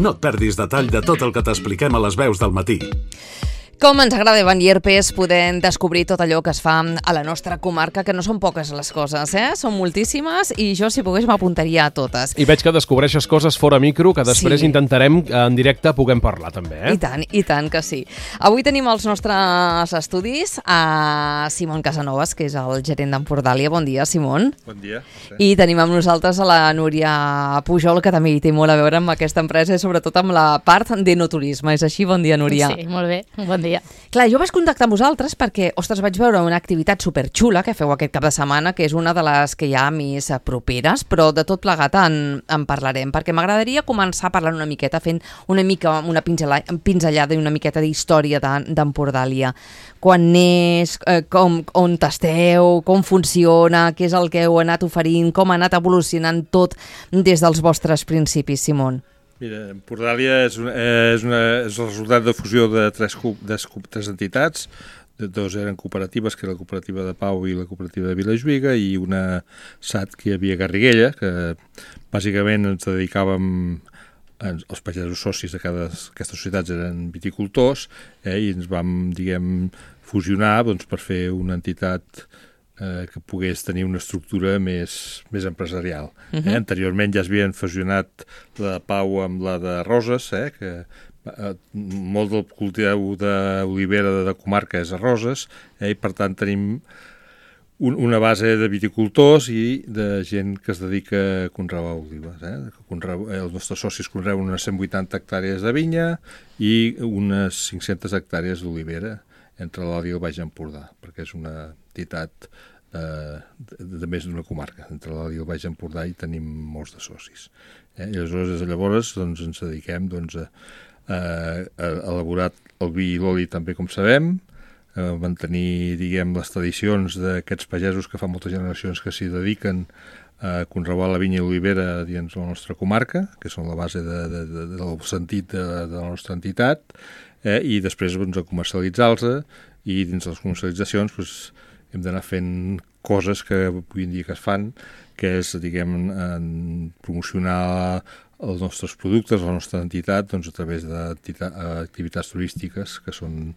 No et perdis detall de tot el que t'expliquem a les veus del matí. Com ens agrada, Ivan Llerpes, podem descobrir tot allò que es fa a la nostra comarca, que no són poques les coses, Són moltíssimes i jo, si pogués, m'apuntaria a totes. I veig que descobreixes coses fora micro que després intentarem en directe puguem parlar també, I tant que sí. Avui tenim als nostres estudis a Simon Casanovas, que és el gerent d'Empordàlia. Bon dia, Simon. Bon dia. I tenim amb nosaltres a la Núria Pujol, que també hi té molt a veure amb aquesta empresa i sobretot amb la part d'enoturisme. És així? Bon dia, Núria. Sí, molt bé. Bon dia. Clar, jo vaig contactar amb vosaltres perquè, ostres, vaig veure una activitat superxula que feu aquest cap de setmana, que és una de les que hi ha més properes, però de tot plegat en parlarem, perquè m'agradaria començar parlant una miqueta, fent una pinzellada i una miqueta d'història d'Empordàlia. Quan neix, on esteu, com funciona, què és el que heu anat oferint, com ha anat evolucionant tot des dels vostres principis, Simon. Mira, Empordàlia és el resultat de fusió de tres entitats. Dos eren cooperatives, que era la cooperativa de Pau i la cooperativa de Vilajuïga, i una SAT que hi havia a Garriguella, que bàsicament ens dedicàvem, els pagesos socis d'aquestes societats eren viticultors, i ens vam, fusionar per fer una entitat que pogués tenir una estructura més empresarial. Anteriorment ja es havien fusionat la de Pau amb la de Roses, que molt del cultiu d'olivera de comarca és a Roses, i per tant tenim una base de viticultors i de gent que es dedica a conrear olives. Els nostres socis conreuen unes 180 hectàrees de vinya i unes 500 hectàrees d'olivera entre l'Alt i el Baix Empordà, perquè és una entitat de més d'una comarca. Entre l'Alt i el Baix Empordà hi tenim molts de socis. I llavors ens dediquem a elaborar el vi i l'oli també, com sabem, a mantenir les tradicions d'aquests pagesos que fa moltes generacions que s'hi dediquen a conrear la vinya i l'olivera dins la nostra comarca, que són la base del sentit de la nostra entitat, i després a comercialitzar-los, i dins les comercialitzacions hem d'anar fent coses que avui en dia que es fan, que és, promocionar els nostres productes, la nostra entitat, a través d'activitats turístiques, que són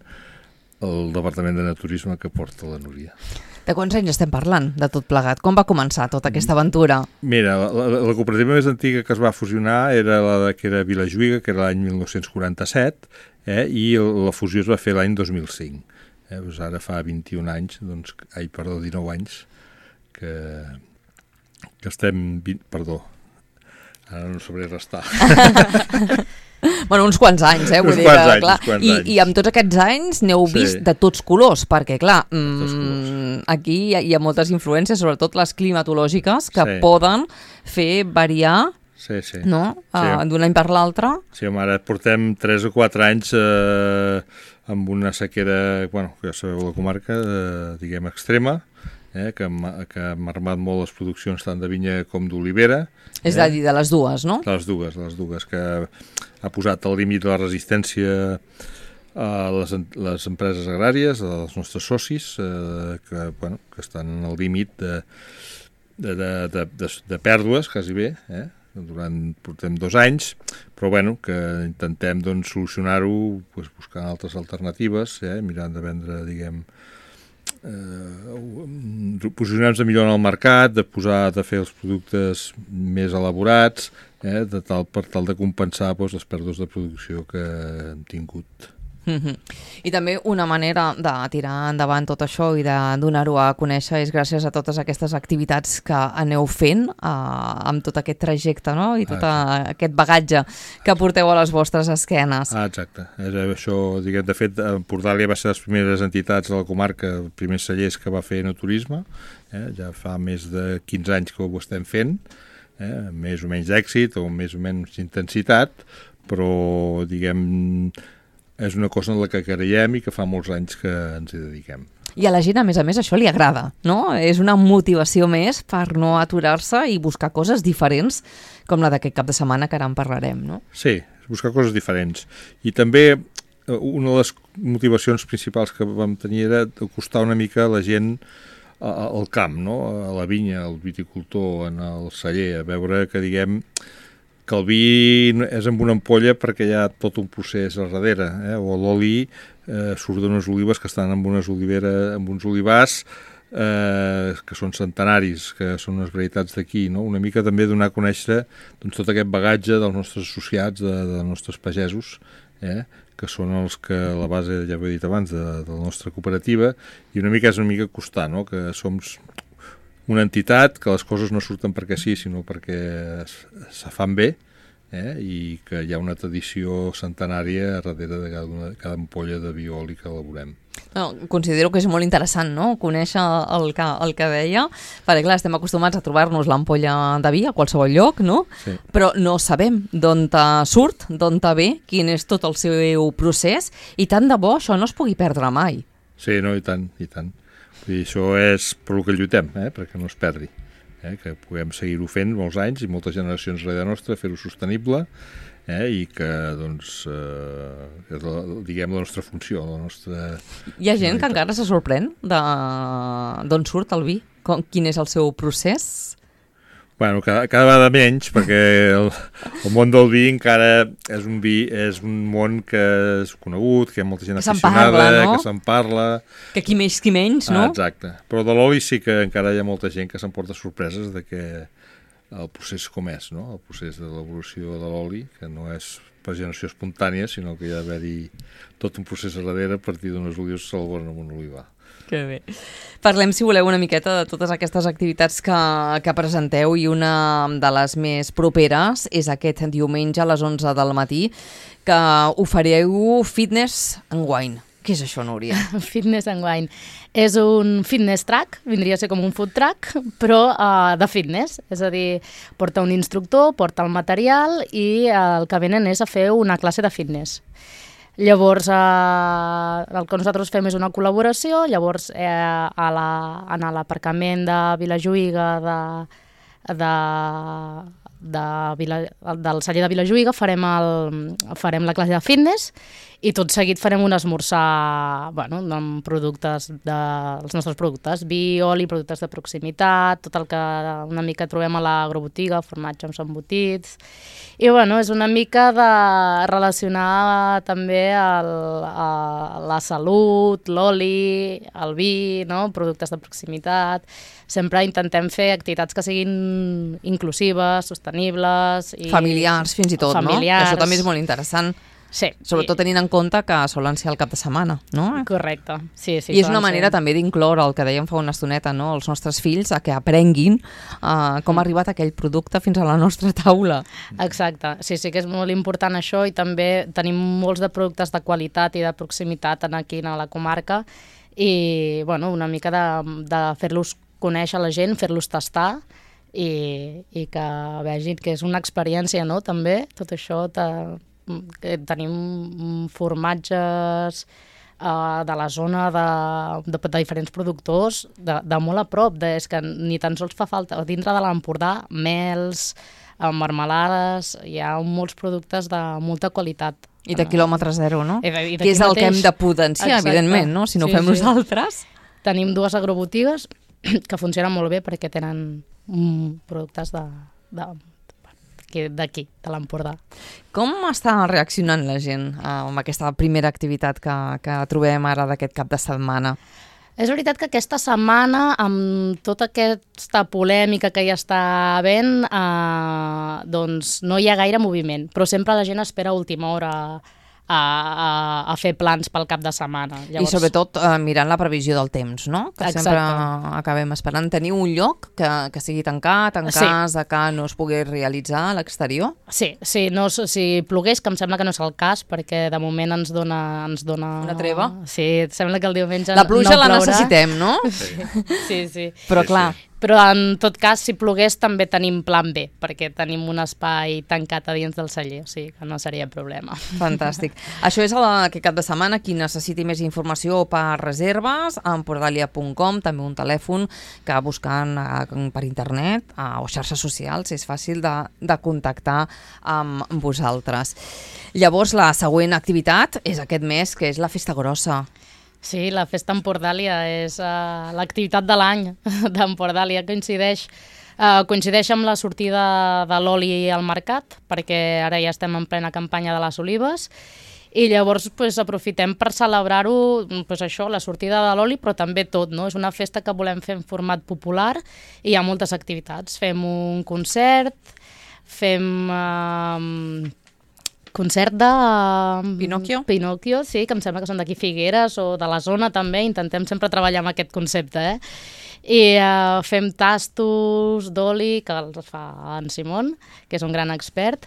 el Departament de Naturisme que porta la Núria. De quants anys estem parlant, de tot plegat? Com va començar tota aquesta aventura? Mira, la cooperativa més antiga que es va fusionar era que era Vilajuïga, que era l'any 1947, i la fusió es va fer l'any 2005. Ara fa 21 anys, 19 anys, que estem... Perdó, ara no sabré restar. Bueno, uns quants anys, vull dir que, clar, i amb tots aquests anys n'heu vist de tots colors, perquè, clar, aquí hi ha moltes influències, sobretot les climatològiques, que poden fer variar d'un any per l'altre. Sí, home, ara portem 3 o 4 anys amb una sequera, que ja sabeu la comarca, extrema, que ha marmat molt les produccions tant de vinya com d'olivera. És a dir, de les dues, no? De les dues, que ha posat al límit de la resistència a les empreses agràries, als nostres socis, que estan al límit de pèrdues, quasi bé, portem 2 anys, però que intentem solucionar-ho buscant altres alternatives, mirant de vendre, posicionar-nos millor en el mercat, de fer els productes més elaborats, per tal de compensar les pèrdues de producció que hem tingut. I també una manera de tirar endavant tot això i de donar-ho a conèixer és gràcies a totes aquestes activitats que aneu fent amb tot aquest trajecte, no? I tot aquest bagatge que porteu a les vostres esquenes. Exacte. Això, de fet, Empordàlia va ser les primeres entitats de la comarca, els primers cellers que va fer enoturisme, ja fa més de 15 anys que ho estem fent, més o menys d'èxit o més o menys intensitat, però, és una cosa en la que creiem i que fa molts anys que ens hi dediquem. I a la gent, a més, això li agrada, no? És una motivació més per no aturar-se i buscar coses diferents, com la d'aquest cap de setmana, que ara en parlarem, no? Sí, buscar coses diferents. I també una de les motivacions principals que vam tenir era acostar una mica la gent al camp, no? A la vinya, al viticultor, en el celler, a veure que, que el vi és amb una ampolla perquè hi ha tot un procés al darrere, o l'oli surt d'unes olives que estan amb unes olivars que són centenaris, que són unes varietats d'aquí, no? Una mica també donar a conèixer doncs, tot aquest bagatge dels nostres associats, dels nostres pagesos, que són els que a la base, ja ho he dit abans, de la nostra cooperativa, i una mica és una mica costar, no? Que som una entitat, que les coses no surten perquè sí, sinó perquè se fan bé, i que hi ha una tradició centenària darrere de cada ampolla de vi oli que elaborem. No, considero que és molt interessant, no?, conèixer el que deia, perquè clar, estem acostumats a trobar-nos l'ampolla de vi a qualsevol lloc, no? Sí. Però no sabem d'on surt, d'on ve, quin és tot el seu procés, i tant de bo això no es pugui perdre mai. Sí, no, i tant, i tant. I això és per el que lluitem, perquè no es perdi. Que puguem seguir-ho fent molts anys i moltes generacions darrere nostra, fer-ho sostenible, i que, doncs, és diguem, la nostra funció, la nostra... Hi ha gent que encara se sorprèn d'on surt el vi? Quin és el seu procés? Bueno, cada vegada menys, perquè el món del vi encara és un món que és conegut, que hi ha molta gent aficionada, que se'n parla... Que qui més, qui menys, no? Exacte. Però de l'oli sí que encara hi ha molta gent que s'emporta sorpreses de que el procés com és, no? El procés de l'evolució de l'oli, que no és per generació espontània, sinó que hi ha d'haver-hi tot un procés a darrere a partir d'unes olives que s'elaboren amb un olivar. Que bé. Parlem, si voleu, una miqueta de totes aquestes activitats que presenteu, i una de les més properes és aquest diumenge a les 11 del matí, que ofereu Fitness and Wine. Què és això, Núria? Fitness and Wine. És un fitness track, vindria a ser com un food track, però de fitness. És a dir, porta un instructor, porta el material i el que venen és a fer una classe de fitness. Llavors, el que nosaltres fem és una col·laboració, llavors en l'aparcament de Vilajuïga, del celler de Vilajuïga, farem la classe de fitness i tot seguit farem un esmorzar amb productes dels nostres productes, vi, oli, productes de proximitat, tot el que una mica trobem a l'agrobotiga, formatge amb embotits. I és una mica de relacionar també la salut, l'oli, el vi, no? Productes de proximitat. Sempre intentem fer activitats que siguin inclusives, sostenibles... Familiars, fins i tot, familiars. No? Això també és molt interessant. Sí. Sobretot tenint en compte que solen ser el cap de setmana, no? Correcte, sí. I és una manera també d'incloure el que dèiem fa una estoneta, no? Els nostres fills a que aprenguin com ha arribat aquell producte fins a la nostra taula. Exacte, sí que és molt important això, i també tenim molts de productes de qualitat i de proximitat aquí a la comarca, i una mica de fer-los conèixer a la gent, fer-los tastar, i que vegin que és una experiència, no? També tot això tenim formatges de la zona de diferents productors de molt a prop, és que ni tan sols fa falta dintre de l'Empordà, mels, marmelades, hi ha molts productes de molta qualitat. I de quilòmetre zero, no? Que és el que hem de potenciar, evidentment, no? Si no ho fem nosaltres. Tenim 2 agrobotigues que funcionen molt bé perquè tenen productes d'aquí, de l'Empordà. Com està reaccionant la gent amb aquesta primera activitat que trobem ara d'aquest cap de setmana? És veritat que aquesta setmana, amb tota aquesta polèmica que hi està havent, doncs no hi ha gaire moviment, però sempre la gent espera a última hora a fer plans pel cap de setmana. Llavors... I sobretot mirant la previsió del temps, no? Que exacte. Sempre acabem esperant. Teniu un lloc que sigui tancat en cas de que no es pugui realitzar a l'exterior? Sí, si plogués, que em sembla que no és el cas, perquè de moment ens dona... Una treva? Sí, sembla que el diumenge la pluja no la necessitem, no? Sí. Però clar... Però en tot cas, si plogués, també tenim plan B, perquè tenim un espai tancat a dins del celler, o sigui que no seria problema. Fantàstic. Això és aquest cap de setmana. Qui necessiti més informació per reserves, empordalia.com, també un telèfon que buscant per internet o xarxes socials és fàcil de contactar amb vosaltres. Llavors, la següent activitat és aquest mes, que és la Festa Grossa. Sí, la Festa Empordàlia és l'activitat de l'any d'Empordàlia, coincideix Coincideix amb la sortida de l'oli al mercat, perquè ara ja estem en plena campanya de les olives, i llavors aprofitem per celebrar-ho, això, la sortida de l'oli, però també tot, no? És una festa que volem fer en format popular i hi ha moltes activitats. Fem un concert, fem concert de... Pinocchio, sí, que em sembla que són d'aquí Figueres o de la zona també, intentem sempre treballar amb aquest concepte, I fem tastos d'oli, que els fa en Simon, que és un gran expert,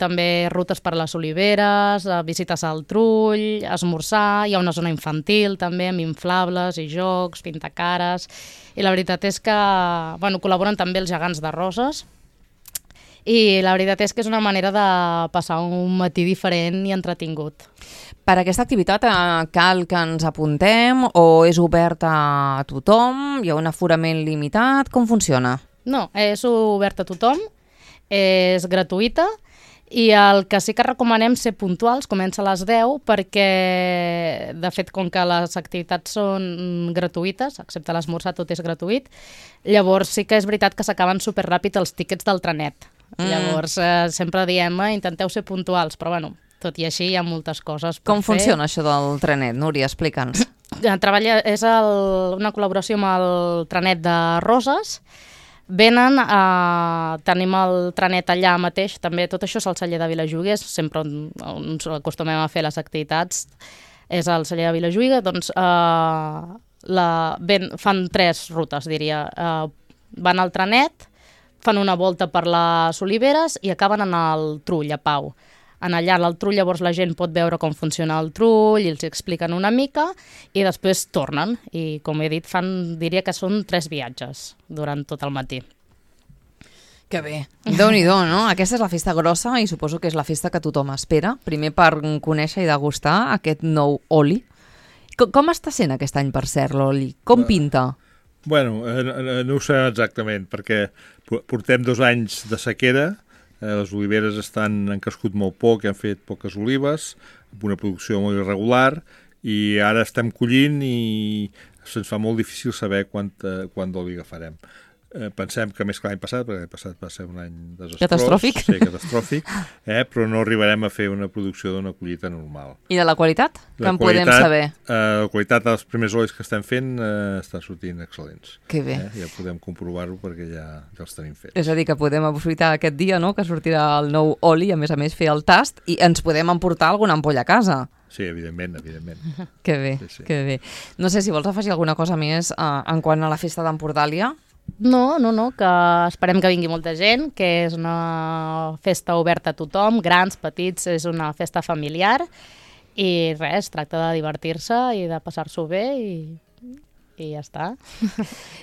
també rutes per les oliveres, visites al trull, esmorzar, hi ha una zona infantil també, amb inflables i jocs, pintacares, i la veritat és que col·laboren també els gegants de Roses, i la veritat és que és una manera de passar un matí diferent i entretingut. Per aquesta activitat cal que ens apuntem o és obert a tothom? Hi ha un aforament limitat? Com funciona? No, és obert a tothom, és gratuïta i el que sí que recomanem ser puntuals, comença a les 10 perquè, de fet, com que les activitats són gratuïtes, excepte l'esmorzar tot és gratuït, llavors sí que és veritat que s'acaben superràpid els tíquets del trenet. Llavors sempre diem, intenteu ser puntuals, però tot i així hi ha moltes coses per fer. Com funciona això del trenet, Núria? Explica'ns. És una col·laboració amb el trenet de Roses. Venen, tenim el trenet allà mateix, també tot això és al celler de Vilajuïga, sempre on acostumem a fer les activitats, és al celler de Vilajuïga, doncs fan 3 rutes, diria. Van al trenet, fan una volta per les oliveres i acaben en el trull, a Pau. En allà, al trull, llavors la gent pot veure com funciona el trull i els expliquen una mica i després tornen. I, com he dit, diria que són 3 viatges durant tot el matí. Que bé. Déu-n'hi-do, no? Aquesta és la festa grossa i suposo que és la festa que tothom espera. Primer per conèixer i degustar aquest nou oli. Com està sent aquest any, per cert, l'oli? Com pinta? Bueno, no ho sé exactament, perquè portem 2 anys de sequera, les oliveres han crescut molt poc, han fet poques olives, amb una producció molt irregular, i ara estem collint i se'ns fa molt difícil saber quant d'oli agafarem. Pensem que més que l'any passat, perquè l'any passat va ser un any desastrós. Catastròfic. Sí, catastròfic, però no arribarem a fer una producció d'una collita normal. I de la qualitat? Que en podem saber? La qualitat dels primers olis que estem fent estan sortint excel·lents. Que bé. Ja podem comprovar-ho perquè ja els tenim fets. És a dir, que podem aprofitar aquest dia, no?, que sortirà el nou oli, a més fer el tast, i ens podem emportar alguna ampolla a casa. Sí, evidentment. Que bé, sí. Que bé. No sé si vols afegir alguna cosa més en quant a la festa d'Empordàlia. No, que esperem que vingui molta gent, que és una festa oberta a tothom, grans, petits, és una festa familiar i res, tracta de divertir-se i de passar-s'ho bé i ja està.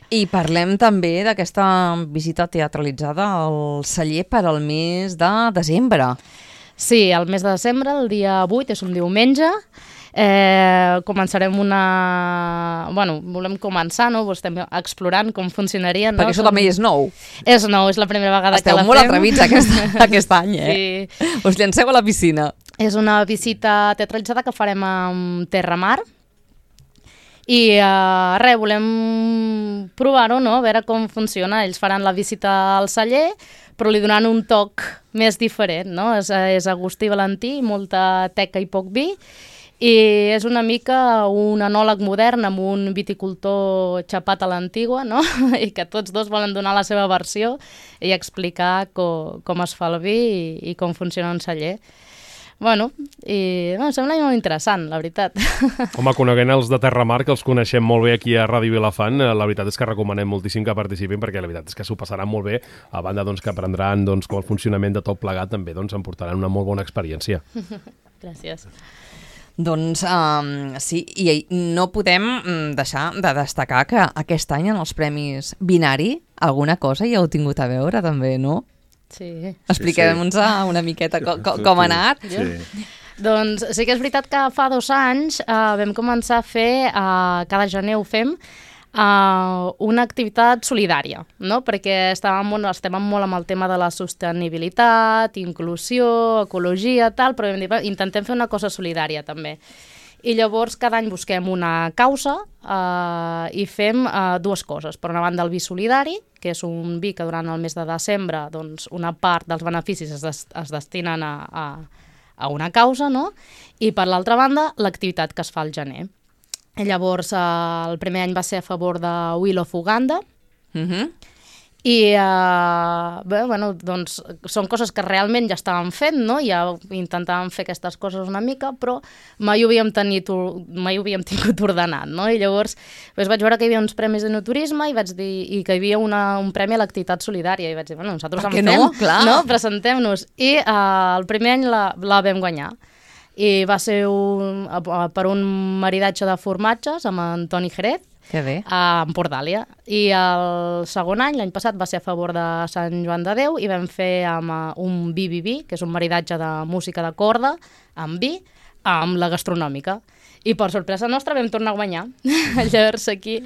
I parlem també d'aquesta visita teatralitzada al celler per al mes de desembre. Sí, el mes de desembre, el dia 8, és un diumenge. Començarem volem començar, no? Estem explorant com funcionaria, no? Perquè això també és nou. És nou, és la primera vegada que la fem. Esteu molt atrevits aquest any, Sí. Us llanceu a la piscina. És una visita teatralitzada que farem amb Terramar i volem provar-ho, no? A veure com funciona. Ells faran la visita al celler, però li donaran un toc més diferent, no? És Agustí Valentí, molta teca i poc vi, i és una mica un enòleg modern amb un viticultor xapat a l'antigua, no? I que tots dos volen donar la seva versió i explicar com es fa el vi i com funciona un celler. Em sembla molt interessant, la veritat. Home, coneguent els de Terramar, que els coneixem molt bé aquí a Ràdio Vilafant, la veritat és que recomanem moltíssim que participin, perquè la veritat és que s'ho passaran molt bé, a banda que aprendran com el funcionament de tot plegat, també em portaran una molt bona experiència. Gràcies. Doncs sí, i no podem deixar de destacar que aquest any en els Premis Binari alguna cosa hi heu tingut a veure també, no? Sí. Expliquem-nos una miqueta com ha anat. Sí. Doncs sí que és veritat que fa 2 anys vam començar a fer, cada gener ho fem, una activitat solidària, no? Perquè estem molt amb el tema de la sostenibilitat, inclusió, ecologia, tal, però vam dir, intentem fer una cosa solidària també. I llavors cada any busquem una causa i fem dues coses. Per una banda el vi solidari, que és un vi que durant el mes de desembre doncs, una part dels beneficis es destinen a una causa, no? I per l'altra banda l'activitat que es fa al gener. I llavors el primer any va ser a favor de Will of Uganda, i doncs són coses que realment ja estàvem fent, no? Ja intentàvem fer aquestes coses una mica, però mai ho havíem tingut ordenat, no? I llavors vaig veure que hi havia uns premis d'enoturisme i vaig dir que hi havia un premi a l'activitat solidària i vaig dir, bueno, nosaltres en fem, no? Presentem-nos. I el primer any la vam guanyar. I va ser per un maridatge de formatges amb Antoni Jerez, que bé. A Empordàlia. I el segon any, l'any passat, va ser a favor de Sant Joan de Déu i vam fer amb un vi, que és un maridatge de música de corda, amb vi, amb la gastronòmica. I per sorpresa nostra vam tornar a guanyar. Llavors aquí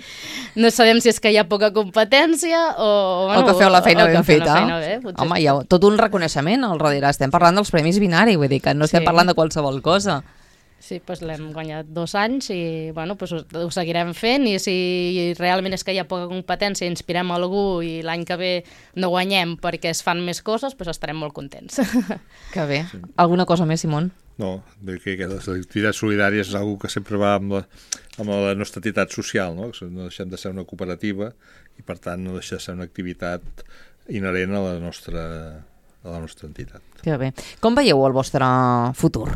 no sabem si és que hi ha poca competència o que feu la feina ben feta. Home, hi ha tot un reconeixement al darrere. Estem parlant dels Premis Binari, vull dir que no estem parlant de qualsevol cosa. Sí, doncs l'hem guanyat 2 anys i bueno, ho seguirem fent i si realment és que hi ha poca competència i inspirem algú i l'any que ve no guanyem perquè es fan més coses, doncs estarem molt contents. Que bé. Sí. Alguna cosa més, Simón? No, que les activitats solidàries és una que sempre va amb la nostra entitat social, no? No deixem de ser una cooperativa i per tant no deixa de ser una activitat inherent a la nostra entitat. Que bé. Com veieu el vostre futur?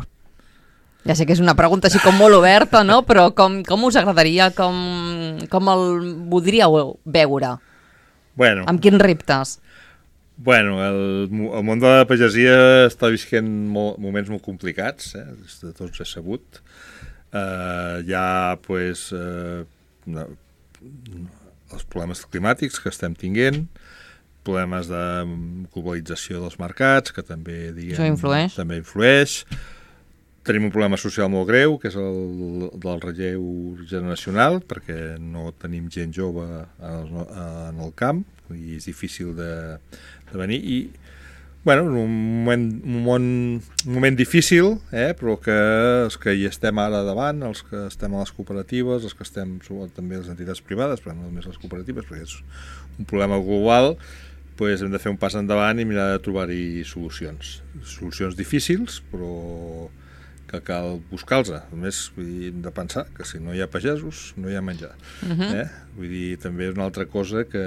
Ja sé que és una pregunta així com molt oberta, no? Però com us agradaria, com el voldríeu veure? Bueno, amb quins reptes? Bueno, el món de la pagesia està visquent moments molt complicats, de tots és sabut. Hi ha pues, els problemes climàtics que estem tinguent, problemes de globalització dels mercats, que també, això influeix. També influeix. Tenim un problema social molt greu, que és el del relleu generacional, perquè no tenim gent jove en el camp i és difícil de venir. I, bueno, un moment difícil, però que els que hi estem ara davant, els que estem a les cooperatives, els que estem també a les entitats privades, però no només les cooperatives, perquè és un problema global, doncs hem de fer un pas endavant i mirar de trobar-hi solucions. Solucions difícils, però que cal buscar-los. A més, hem de pensar que si no hi ha pagesos, no hi ha menjar. Vull dir, també és una altra cosa que,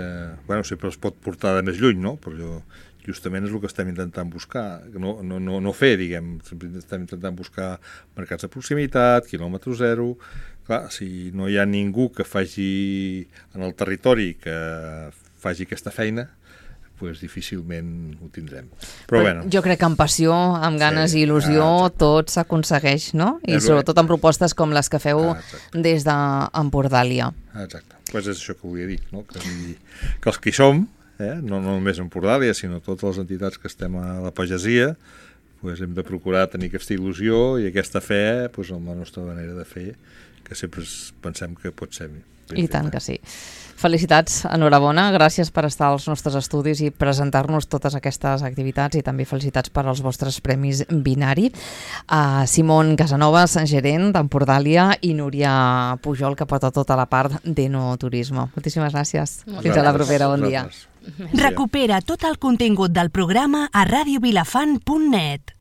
bueno, sempre es pot portar de més lluny, no? Però justament és el que estem intentant buscar. No fer, diguem, estem intentant buscar mercats de proximitat, quilòmetre zero. Clar, si no hi ha ningú que faci en el territori que faci aquesta feina, pues difícilment ho tindrem. Però bueno. Jo crec que amb passió, amb ganes i il·lusió, tot s'aconsegueix, no? I sobretot amb propostes com les que feu des d'Empordàlia. Exacte. Pues és això que volia dir, no? Que els que hi som, no només Empordàlia, sinó totes les entitats que estem a la pagesia, pues hem de procurar tenir aquesta il·lusió i aquesta fe amb la nostra manera de fer, que sempre pensem que pot ser ben I tant que sí. Felicitats, enhorabona, gràcies per estar als nostres estudis i presentar-nos totes aquestes activitats i també felicitats per als vostres Premis Binari. Simón Casanovas, gerent d'Empordàlia, i Núria Pujol, que porta tota la part d'enoturisme. Moltíssimes gràcies. Fins a la propera, bon dia. Recupera tot el contingut del programa a radiovilafant.net.